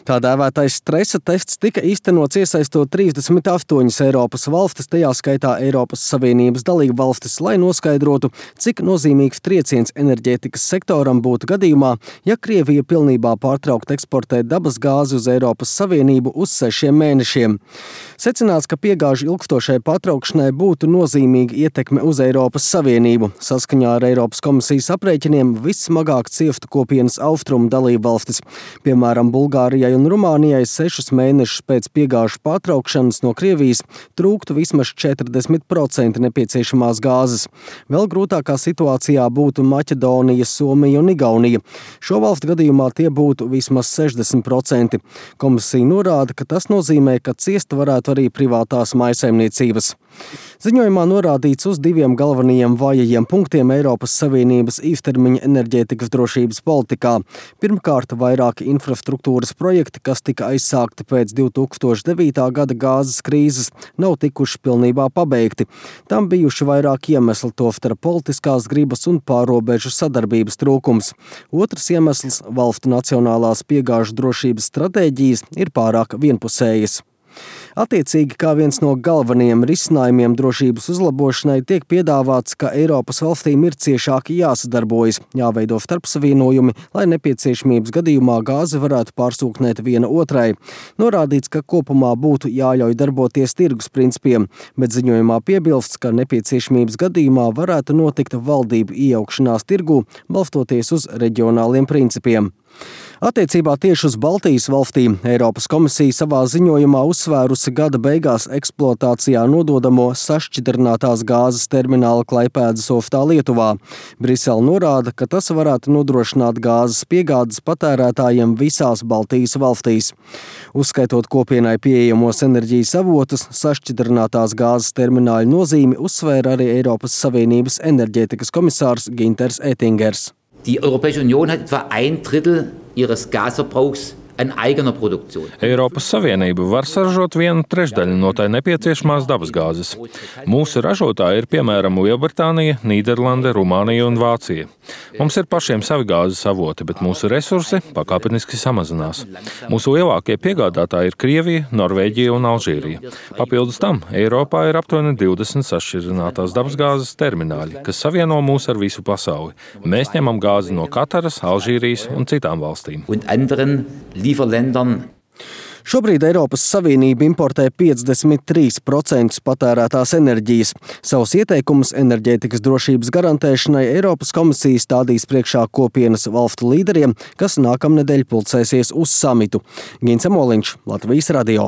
Tā dēvētais stresa tests tika īstenots iesaistot 38 Eiropas valstis, tajā skaitā Eiropas Savienības dalību valstis, lai noskaidrotu, cik nozīmīgs trieciens enerģētikas sektoram būtu gadījumā, ja Krievija pilnībā pārtraukt eksportēt dabas gāzi uz Eiropas Savienību uz 6 mēnešiem. Secināts, ka piegāžu ilgstošai pārtraukšanai būtu nozīmīga ietekme uz Eiropas Savienību. Saskaņā ar Eiropas komisijas aprēķiniem vissmagāk ciestu kopienas austrumu dalību valstis. Piemēram, Bulgārijai un Rumānijai 6 mēnešus pēc piegāžu pārtraukšanas no Krievijas trūktu vismaz 40% nepieciešamās gāzes. Vēl grūtākā situācijā būtu Maķedonija, Somija un Igaunija. Šo valstu gadījumā tie būtu vismaz 60%. Komisija norāda, ka tas nozīmē, ka ciest varētu arī privātās mājsaimniecības. Ziņojumā norādīts uz 2 galvenajiem vājajiem punktiem Eiropas Savienības īstermiņa enerģētikas drošības politikā. Pirmkārt, vairāki infrastruktūras projekti, kas tika aizsākti pēc 2009. gada gāzes krīzes, nav tikuši pilnībā pabeigti. Tam bijuši vairāk iemesli, tostarp politiskās gribas un pārrobežu sadarbības trūkums. Otrs iemesls - valstu nacionālās piegāžu drošības stratēģijas ir pārāk vienpusējas. Attiecīgi, kā viens no galvenajiem risinājumiem drošības uzlabošanai tiek piedāvāts, ka Eiropas valstīm ir ciešāk jāsadarbojas, jāveido starpsavienojumi, lai nepieciešamības gadījumā gāzi varētu pārsūknēt viena otrai. Norādīts, ka kopumā būtu jāļauj darboties tirgus principiem, bet ziņojumā piebilsts, ka nepieciešamības gadījumā varētu notikt valdību iejaukšanās tirgū, balstoties uz reģionāliem principiem. Attiecībā tieši uz Baltijas valstīm Eiropas komisija savā ziņojumā uzsvērusi gada beigās eksploatācijā nododamo sašķidrinātās gāzes termināla Klaipēdas ostā Lietuvā. Brisele norāda, ka tas varētu nodrošināt gāzes piegādes patērētājiem visās Baltijas valstīs. Uzskaitot kopienai pieejamos enerģijas avotus, sašķidrinātās gāzes termināļu nozīmi uzsvēra arī Eiropas Savienības enerģētikas komisārs Ginters Ettingers. Die Europäische Union hat etwa 1/3 ihres Gasverbrauchs an eigener Produktion. Eiropas Savienība var saražot 1/3 no tai nepieciešamās dabasgāzes. Mūsu ražotāji ir piemēram Lielbritānija, Nīderlande, Rumānija un Vācija. Mums ir pašiem savi gāzes avoti, bet mūsu resursi pakāpeniski samazinās. Mūsu lielākie piegādātāji ir Krievija, Norvēģija un Alžīrija. Papildus tam Eiropā ir aptuveni 20 sašķidrinātās dabasgāzes termināļi, kas savieno mūs ar visu pasauli. Mēs ņemam gāzi no Kataras, Alžīrijas un citām valstīm. Šobrīd Eiropas Savienība importē 53% patērētās enerģijas. Savus ieteikumus enerģētikas drošības garantēšanai Eiropas komisija stādīs priekšā kopienas valstu līderiem, kas nākamnedēļ pulcēsies uz samitu. Gins Amoliņš, Latvijas radio.